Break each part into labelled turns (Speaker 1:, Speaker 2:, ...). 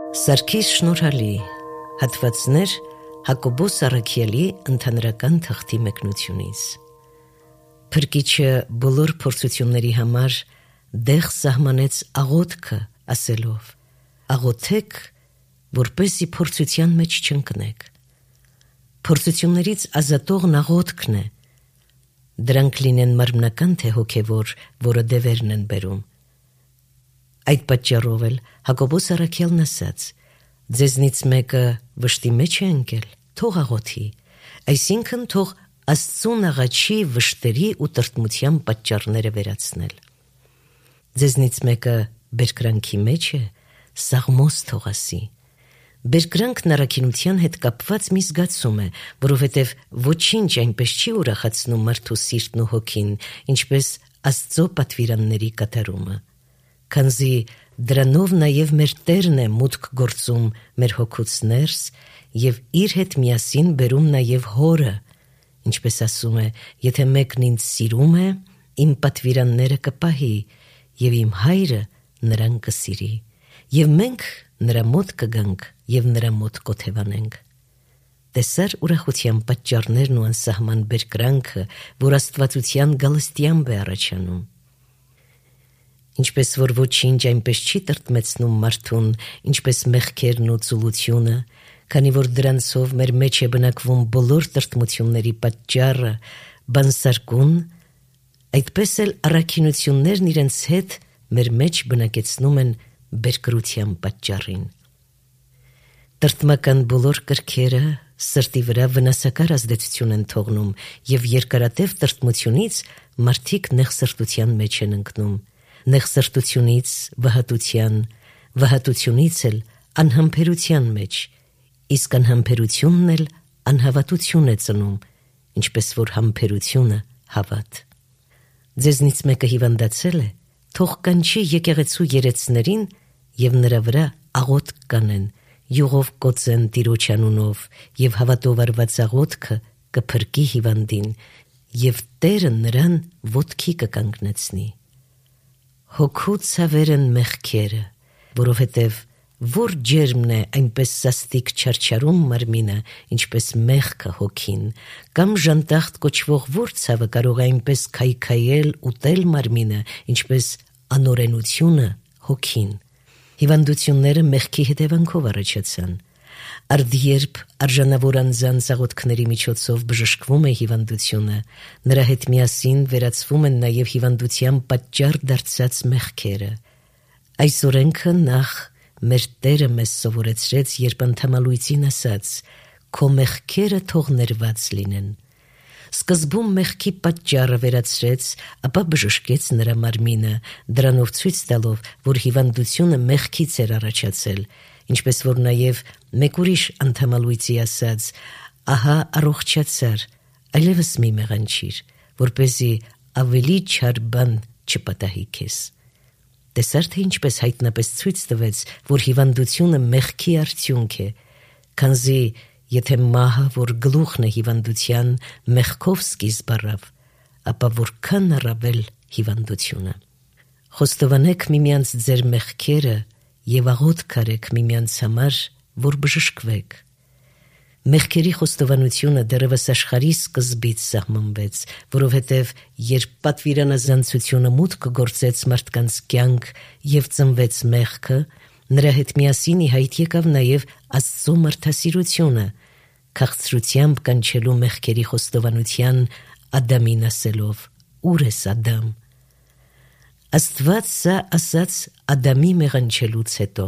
Speaker 1: Սարգիս Շնորհալի, հատվածներ Հակոբոս Առաքյալի ընդհանրական թղթի մեկնությունից։ Փրկիչը բոլոր փորձությունների համար դեղ սահմանեց աղոթքը, ասելով. աղոթեք, որպեսզի փորձության մեջ չընկնեք։ Փորձություններից ազատողն աղոթքն է։ Դրանք լինեն մարմնական թե հոգևոր, որը դևերն են բերում։ Այդ պատճառով էլ Հակոբոս Առաքյալն ասաց. ձեզնից մեկը վշտի մեջ է ընկել, թող աղոթի, այսինքն թող Աստծուն աղաչի վշտերի ու տրտմության պատճառները վերացնել։ Ձեզնից մեկը բերկրանքի մեջ է, սաղմոս թող ասի։ Բերկրանքն առաքինության հետ կապված մի զգացում է, որովհետև ոչինչ այնպես չի ուրախացնում մարդու սիրտն ու հոգին, ինչպես Աստծո պատվիրանների կատարումը։ Քանզի դրանով նաև մեր Տերն է մուտք գործում մեր հոգուց ներս և իր հետ միասին բերում նաև հորը, ինչպես ասում է, եթե մեկն ինձ սիրում է, իմ պատվիրանները կպահի, և իմ հայրը նրան կսիրի, և մենք նրա մոտ կգանք և նրա մոտ կոթևանենք։ Տեսար ուրախության պատճառներն ու անսահման բերկրանքը, որ աստվածության գալստյամբ է առաջանում։ Ինչպես որ ոչինչ այնպես չի տրտմեցնում մարդուն, ինչպես մեղքերն ու ծուլությունը, քանի որ դրանցով մեր մեջ է բնակվում բոլոր տրտմությունների պատճառը, բանսարկուն, այդպես էլ առաքինություններն իրենց հետ մեր մեջ բնակեցնում են բերկրության պատճառին։ Տրտմական բոլոր կրքերը սրտի վրա վնասակար ազդեցություն են թողնում և երկարատև տրտմությունից մարդիկ նեղսրտության մեջ են ընկնում, նեղսրտությունից վհատության, վհատությունից էլ անհամբերության մեջ, իսկ անհամբերությունն էլ անհավատություն է ծնում, ինչպես որ համբերությունը հավատ։ Ձեզնից մեկը հիվանդացել է, թող կանչի եկեղեցու երեցներին և նրա վրա աղոթք կանեն, յուղով կոծեն Տիրոջ անունով և հավատով արված աղոթքը կփրկի հիվանդին և Տերը նրան ոտքի կկանգնեցնի։ Հոգու ցավեր են մեղքերը, որովհետև որ ջերմն է այնպես սաստիկ չարչարում մարմինը, ինչպես մեղքը հոգին, կամ ժանտախտ կոչվող որ ցավը կարող է այնպես քայքայել, ուտել մարմինը, ինչպես անօրենությունը հոգին։ Հիվանդությունները մեղքի հետևանքով առաջացան։ Արդ երբ արժանավոր անձանց աղոթքների միջոցով բժշկվում է հիվանդությունը, նրա հետ միասին վերացվում են նաև հիվանդության պատճառ դարձած մեղքերը։ Այս օրենքը նախ մեր Տերը մեզ սովորեցրեց, երբ անդամալույծին ասաց. «Քո մեղքերը թող ներված լինեն»։ Սկզբում մեղքի պատճառը վերացրեց, ապա բժշկեց նրա մարմինը, դրանով ցույց տալով, որ հիվանդությունը մեղքից էր առաջացել, ինչպես որ նաև մեկ ուրիշ անդամալույծի ասաց. «Ահա առողջացար, այլևս մի մեղանչիր, որպեսզի ավելի չար բան չպատահի քեզ»։ Տեսար թե ինչպես հայտնապես ցույց տվեց, որ հիվանդությունը մեղքի արդյունք է, քանզի եթե մահը, որ գլուխն է հիվանդության, մեղքով սկիզբ առավ, ապա որքան առավել հիվանդությունը։ Խոստովանեք միմյանց ձեր մեղքերը և աղոթք արեք միմյանց համար, որ բժշկվեք։ Մեղքերի խոստովանությունը դեռևս աշխարհի սկզբից սահմանվեց, որովհետև երբ պատվիրանազանցությունը մուտք գործեց մարդկանց կյանք և ծնվեց մեղքը, նրա հետ միասին ի հայտ եկավ նաև Աստծո մարդասիրությունը, քաղցրությամբ կանչելու մեղքերի խոստովանության Ադամին ասելով. «Ո՞ւր ես Ադամ»։ Աստված սա ասաց Ադամի մեղանչելուց հետո։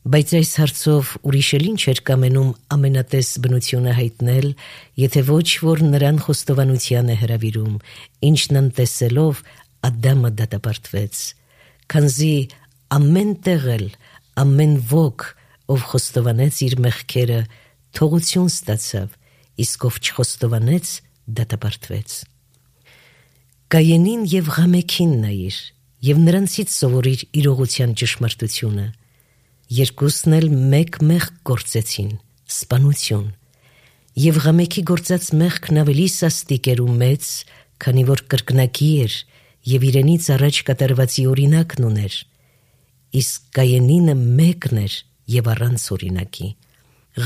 Speaker 1: Բայց այս հարցով ուրիշ էլ ինչ էր կամենում ամենատես բնությունը հայտնել, եթե ոչ որ նրան խոստովանության է հրավիրում, ինչն անտեսելով Ադամը դատապարտվեց, քանզի ամեն տեղ էլ ամեն ոք, ով խոստովանեց իր մեղքերը, թողություն ստացավ, իսկ ով չխոստովանեց, դատապարտվեց։ Կայենին և Ղամեքին նայիր և նրանցից սովորիր իրողության ճշմարտությունը։ Երկուսն էլ մեկ մեղք գործեցին, սպանություն, և Ղամեքի գործած մեղքն ավելի սաստիկ էր ու մեծ, քանի որ կրկնակի էր և իրենից առաջ կատարվածի օրինակն ուներ, իսկ Կայենինը մեկն էր եւ առանց օրինակի։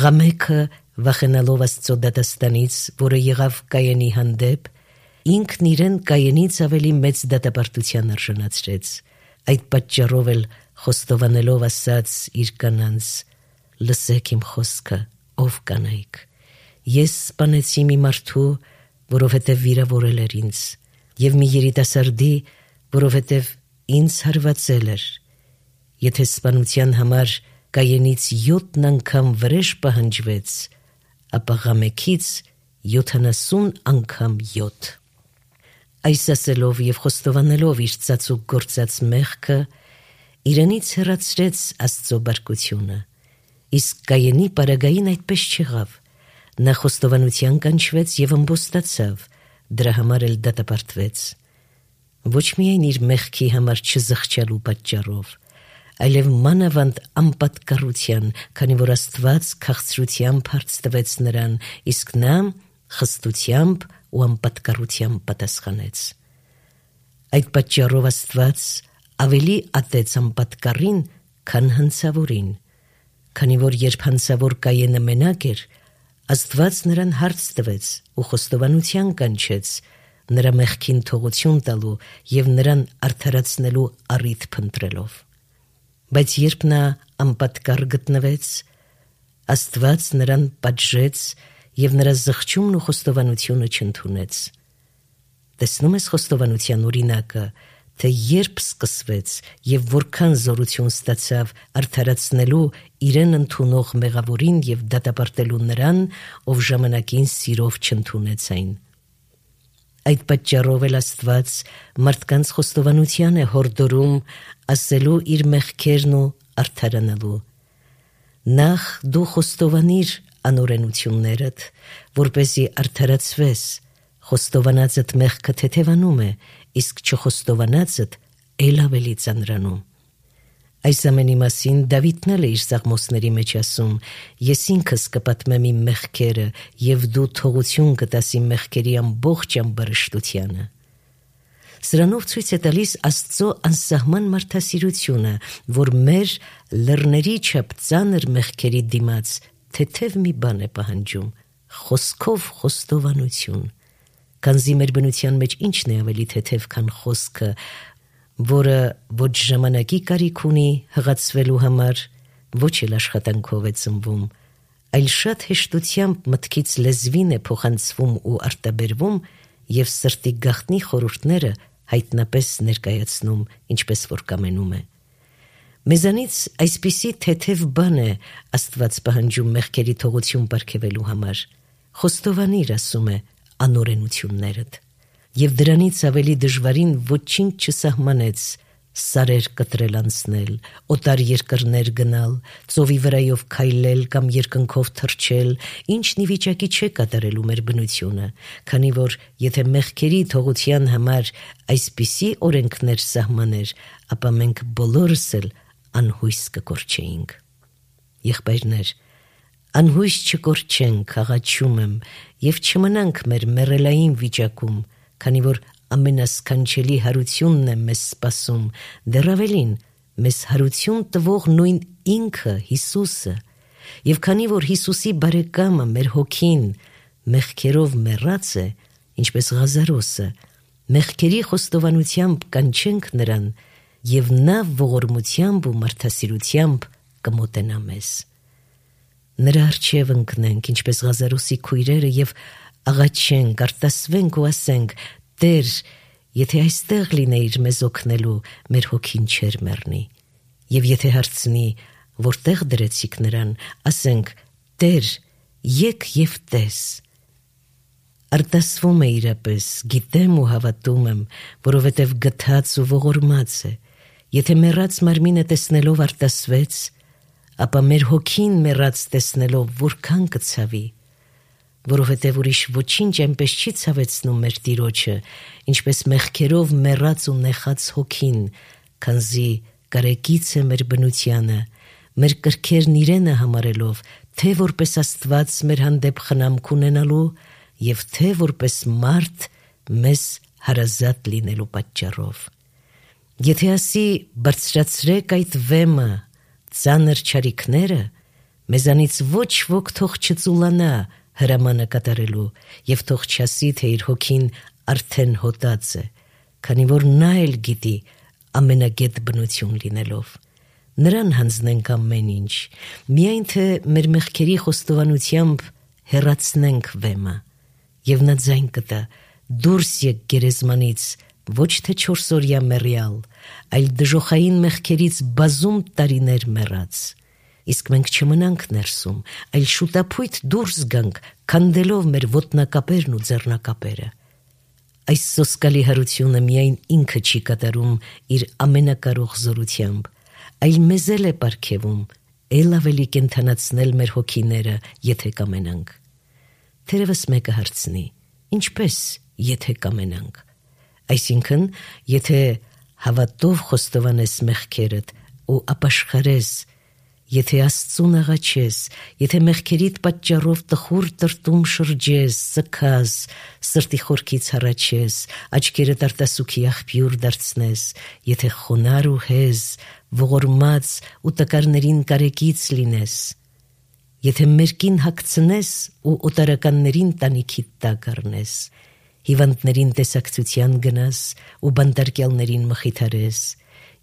Speaker 1: Ղամեքը վախենալով Աստծո դատաստանից, որը եղավ Կայենի հանդեպ, ինքն իրեն Կայենից ավելի մեծ դատապարտության արժանացրեց։ Այդ պատճառով էլ խոստովանելով ասաց իր կանանց. «Լսեք իմ խոսքը, ով կանայք, ես սպանեցի մի մարդու, որովհետև վիրավորել էր ինձ, եւ մի երիտասարդի, որովհետև ինձ հարվածել էր։ Եթե սպանության համար Կայենից 7 անգամ վրեժ պահանջվեց, ապա Ղամեքից 70 անգամ 7»։ Այս ասելով եւ խոստովանելով իր ծածուկ գործած մեղքը, իրենից հեռացրեց Աստծո բարկությունը։ Իսկ Կայենի պարագային այդպես չեղավ։ Նա խոստովանության կանչվեց եւ ըմբոստացավ, դրա համար էլ դատապարտվեց։ Ոչ միայն իր մեղքի համար չզղջալու պատճառով, այլև մանավանդ անպատկառության, քանի որ Աստված քաղցրությամբ հարց տվեց նրան, իսկ նա խստությամբ ու անպատկառությամբ պատասխանեց։ Այդ պատճառով Աստված ավելի ատեց անպատկառին, քան հանցավորին, քանի որ երբ հանցավոր Կայենը մենակ էր, Աստված նրան հարց տվեց ու խոստովանության կանչեց, նրա մեղքին թողություն տալու եւ նրան արդարացնելու առիթ փնտրելով։ Բայց երբ նա անպատկառ գտնվեց, Աստված նրան պատժեց եւ նրա զղջումն ու խոստովանությունը չընդունեց։ Տեսնում ես խոստովանության օրինակը, թե երբ սկսվեց եւ որքան զորություն ստացավ արդարացնելու իրեն ընդունող մեղավորին եւ դատապարտելու նրան, ով ժամանակին սիրով չընդունեց այն։ Այդ պատճառով էլ Աստված մարդկանց խոստովանության է հորդորում ասելու իր մեղքերն ու արդարանալու։ Նախ դու խոստովանիր անօրենություններդ, որպեսզի արդարացվես, խոստովանածդ մեղքը թեթևանում է, իսկ չխոստովանածդ էլ ավելի ծանրանում։ Այս ամենի մասին Դավիթն էլ է իր սաղմոսների մեջ ասում. «Ես ինքս կպատմեմ իմ մեղքերը, եւ դու թողություն կտաս իմ մեղքերի ամբողջ ամբարշտությանը»։ Սրանով ցույց է տալիս Աստծո անսահման մարդասիրությունը, որ մեր լեռների չափ ծանր մեղքերի դիմաց թեթև մի բան է պահանջում՝ խոսքով խոստովանություն։ Քանզի մեր բնության մեջ ինչն է ավելի թեթև, քան խոսքը, որը ոչ ժամանակի կարիք ունի հղացվելու համար, ոչ էլ աշխատանքով է ծնվում, այլ շատ հեշտությամբ մտքից լեզվին է փոխանցվում ու արտաբերվում եւ սրտի գաղտնի խորհուրդները հայտնապես ներկայացնում, ինչպես որ կամենում է։ Մեզանից այսպիսի թեթև բան է Աստված պահանջում մեղքերի թողություն պարգևելու համար։ Խոստովանիր, ասում է, անօրենություններդ, եւ դրանից ավելի դժվարին ոչինչ չսահմանեց սարեր կտրել անցնել, օտար երկրներ գնալ, ծովի վրայով քայլել կամ երկնքով թռչել, ինչն ի վիճակի չէ կատարելու մեր բնությունը, քանի որ եթե մեղքերի թողության համար այսպիսի օրենքներ սահմաներ, ապա մենք բոլորս էլ անհույս կկորչեինք։ Եղբայրներ, անհույս չկորչենք, աղաչում եմ, եւ չմնանք մեր մեռելային վիճակում, քանի որ ամենասքանչելի հարությունն է մեզ սպասում, դեռ ավելին, մեզ հարություն տվող նույն ինքը Հիսուսը, եւ քանի որ Հիսուսի բարեկամը մեր հոգին մեղքերով մեռած է, ինչպես Ղազարոսը, մեղքերի խոստովանությամբ կանչենք նրան, եւ նա ողորմությամբ ու մարդասիրությամբ կմոտենա մեզ։ Նրա առջև ընկնենք, ինչպես Ղազարոսի քույրերը, եւ աղաչենք, արտասվենք ու ասենք. «Տեր, եթե այստեղ լինեիր մեզ օգնելու, մեր հոգին չէր մեռնի»։ Եվ եթե հարցնի, որտեղ դրեցիք նրան, ասենք. «Տեր, եկ եւ տես»։ Արտասվում է իրապես, գիտեմ ու հավատում եմ, որովհետև գթած ու ողորմած է։ Եթե մեռած մարմինը տեսնելով արտասվեց, ապա մեր հոգին մեռած տեսնելով որքան կցավի, որովհետև ուրիշ ոչինչ այնպես չի ցավեցնում մեր Տիրոջը, ինչպես մեղքերով մեռած ու նեխած հոգին, քանզի կարեկից է մեր բնությանը, մեր կրքերն իրենը համարելով, թե որպես Աստված մեր հանդեպ խնամք ունենալու եւ թե որպես մարդ մեզ հարազատ լինելու պատճառով։ Եթե ասի բարձրացրեք այդ վեմը, ծանր չարիքները, մեզանից ոչ ոք թող չծուլանա հրամանը կատարելու, եւ թող չասի, թե իր հոգին արդեն հոտած է, քանի որ նա էլ գիտի ամենագետ բնություն լինելով։ Նրան հանձնենք ամեն ինչ, միայն թե մեր մեղքերի խոստովանությամբ հեռացնենք վեմը, եւ նա ձայն կտա, դուրս եք գերեզմանից, ոչ թե 4-օրյա մեռյալ, այլ դժոխային մեղքերից բազում տարիներ մեռած։ Իսկ մենք չմնանք ներսում, այլ շուտապույտ դուրս գանք, քանդելով մեր ոտնակապերն ու ձեռնակապերը։ Այս սոսկալի հարությունը միայն ինքը չի կատարում իր ամենակարող զորությամբ, այլ մեզ էլ է պարգևում, էլ ավելի կենթանացնել մեր հոգիները, եթե կամենանք։ Թերևս մեկը հարցնի, ինչպես եթե կամենանք։ Այսինքն, եթե հավատով խոստովանես մեղքերդ ու ապաշխարես, եթե Աստծուն աղաչես, եթե մեղքերիդ պատճառով տխուր տրտում շրջես, սգաս, սրտի խորքից հառաչես, աչքերդ արտասուքի աղբյուր դարձնես, եթե խոնար ու հեզ, ողորմած ու տկարներին կարեկից լինես, եթե մերկին հագցնես ու օտարականներին տանիքիդ տակ առնես, հիվանդներին տեսակցության գնաս ու բանտարկյալներին մխիթարես,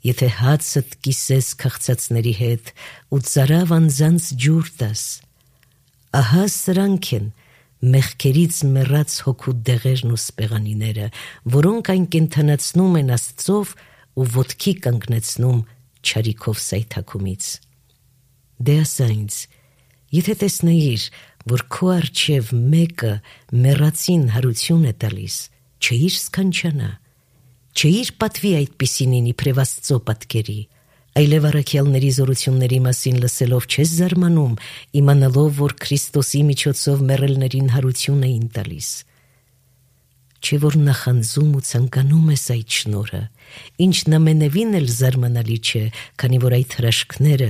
Speaker 1: եթե հացդ կիսես քաղցածների հետ ու ծարավ անձանց ջուր տաս, ահա սրանք են մեղքերից մեռած հոգու դեղերն ու սպեղանիները, որոնք այն կենթանացնում են Աստծով ու ոտքի կանգնեցնում չարիքով սայթաքումից։ Դե ասա ինձ, եթե տեսնեիր, որ քո առջև մեկը մեռածին հարություն է տալիս, չէիր սքանչանա, չէիր պատվի այդպիսինին իբրև Աստծո պատկերի, այլև առաքյալների զորությունների մասին լսելով չես զարմանում, իմանալով, որ Քրիստոսի միջոցով մեռելներին հարություն էին տալիս։ Չէ որ նախանձում ու ցանկանում ես այդ շնորհը, ինչն ամենևին էլ զարմանալի չէ, քանի որ այդ հրաշքները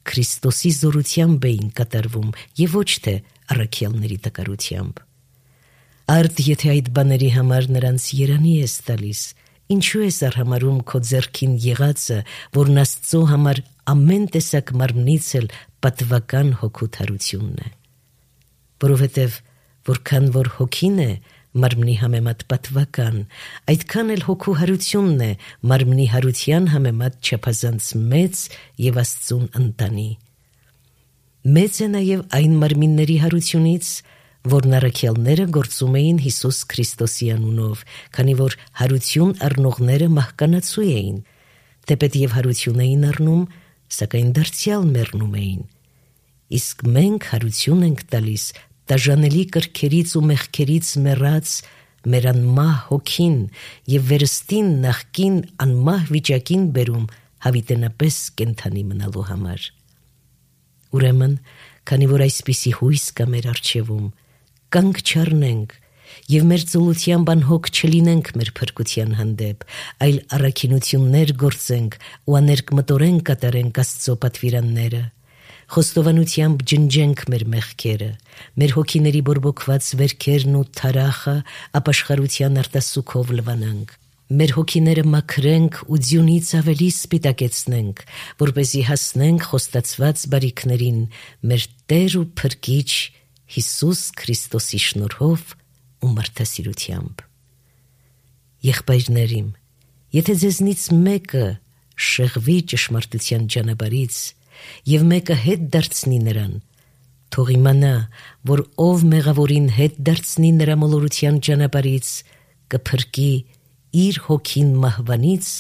Speaker 1: Քրիստոսի զորությամբ էին կատարվում եւ ոչ թե առաքյալների տկարությամբ։ Արդ եթե այդ բաների համար նրանց երանի ես տալիս, ինչու ես արհամարում քո ձեռքին եղածը, որն Աստծո համար ամեն տեսակ մարմնից էլ պատվական հոգու թարությունն է։ Որովհետև որքան որ հոգին է մարմնի համեմատ պատվական, այդքան էլ հոգու հարությունն է մարմնի հարության համեմատ չափազանց մեծ եւ Աստծուն ընտանի։ Մեծ է նաեւ այն մարմինների հարությունից, որն առաքյալները գործում էին Հիսուս Քրիստոսի անունով, քանի որ հարություն առնողները մահկանացու էին, թեպետ եւ հարություն էին առնում, սակայն դարձյալ մեռնում էին։ Իսկ մենք հարություն ենք տալիս տաժանելի կրքերից ու մեղքերից մեռած մեր անմահ հոգին եւ վերստին նախկին անմահ վիճակին բերում հավիտենապես կենթանի մնալու համար։ Ուրեմն, քանի որ այսպիսի հույս կա մեր առջևում, կանգ չառնենք եւ մեր ծուլությամբ անհոգ չլինենք մեր փրկության հանդեպ, այլ առաքինություններ գործենք ու աներկմտորեն կատարենք Աստծո պատվիրանները, խոստովանությամբ ջնջենք մեր մեղքերը, մեր հոգիների բորբոքված վերքերն ու թարախը ապաշխարության արտասուքով լվանանք, մեր հոգիները մաքրենք ու ձյունից ավելի սպիտակեցնենք, որպեսզի հասնենք խոստացված բարիքներին մեր Տեր ու Փրկիչ Հիսուս Քրիստոսի շնորհով ու մարդասիրությամբ։ Եղբայրներիմ, եթե ձեզնից մեկը շեղվի ճշմարտության ճանապարհից եւ մեկը հետ դարձնի նրան, թող իմանա, որ ով մեղավորին հետ դարձնի նրա մոլորության ճանապարհից, կփրկի իր հոգին մահվանից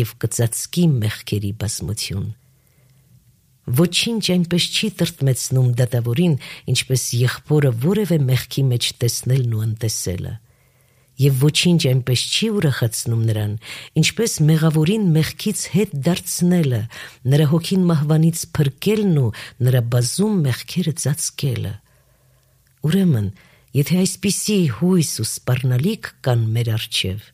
Speaker 1: եւ կծածկի մեղքերի բազմություն։ Ոչինչ այնպես չի տրտմեցնում դատավորին, ինչպես եղբորը որևէ մեղքի մեջ տեսնելն ու անտեսելը, եւ ոչինչ այնպես չի ուրախացնում նրան, ինչպես մեղավորին մեղքից հետ դարձնելը, նրա հոգին մահվանից փրկելն ու նրա բազում մեղքերը ծածկելը։ Ուրեմն, եթե այսպիսի հույս ու սպառնալիք կան մեր առջև,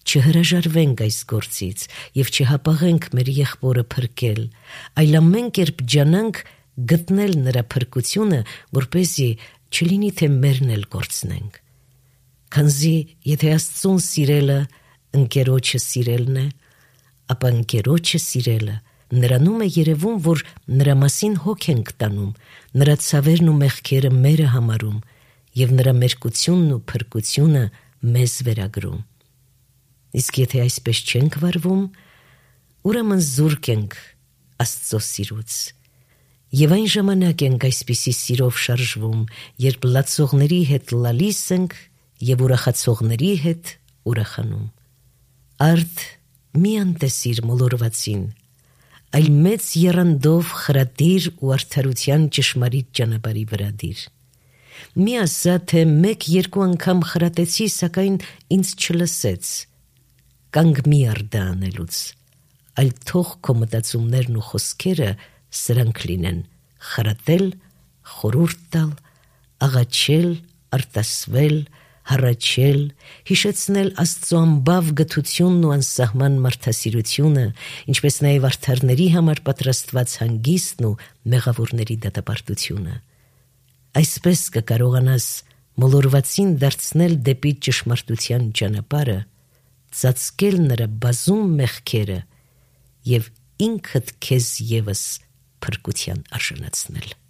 Speaker 1: չհրաժարվենք այս գործից եւ չհապաղենք մեր եղբորը փրկել, այլ ամեն կերպ ջանանք գտնել նրա փրկությունը, որպեսզի չլինի թե մերն էլ գործնենք։ Քանզի եթե Աստծուն սիրելը ընկերոջը սիրելն է, ապա ընկերոջը սիրելը նրանում է երևում, որ նրա մասին հոգ ենք տանում, նրա ցավերն ու մեղքերը մերը համարում և նրա մերկությունն ու փրկությունը մեզ վերագրում։ Իսկ եթե այսպես չենք վարվում, ուրեմն զուրկ ենք Աստծո սիրուց։ Եվ այն ժամանակ ենք այսպիսի սիրով շարժվում, երբ լացողների հետ լալիս ենք և ուրախացողների հետ ուրախանում։ Արդ մի անտեսիր մոլորվածին, այլ մեծ եռանդով խրատիր ու արդարության ճշմարիտ ճանապարհի վրա դիր։ Մի ասա, թե 1-2 անգամ խրատեցի, սակայն ինձ չլսեց, կանգ մի առ դա անելուց, այլ թող քո մտածումներն ու խոսքերը սրանք լինեն՝ խրատել, խորհուրդ տալ, աղաչել, արտասվել, հառաչել, հիշեցնել Աստծո անբավ գթությունն ու անսահման մարդասիրությունը, ինչպես նաև արդարների համար պատրաստված հանգիստն ու մեղավորների դատապարտությունը։ Այսպես կկարողանաս մոլորվածին դարձնել դեպի ճշմարտության ճանապարհը, ծածկել նրա բազում մեղքերը և ինքդ քեզ ևս փրկության արժանացնել։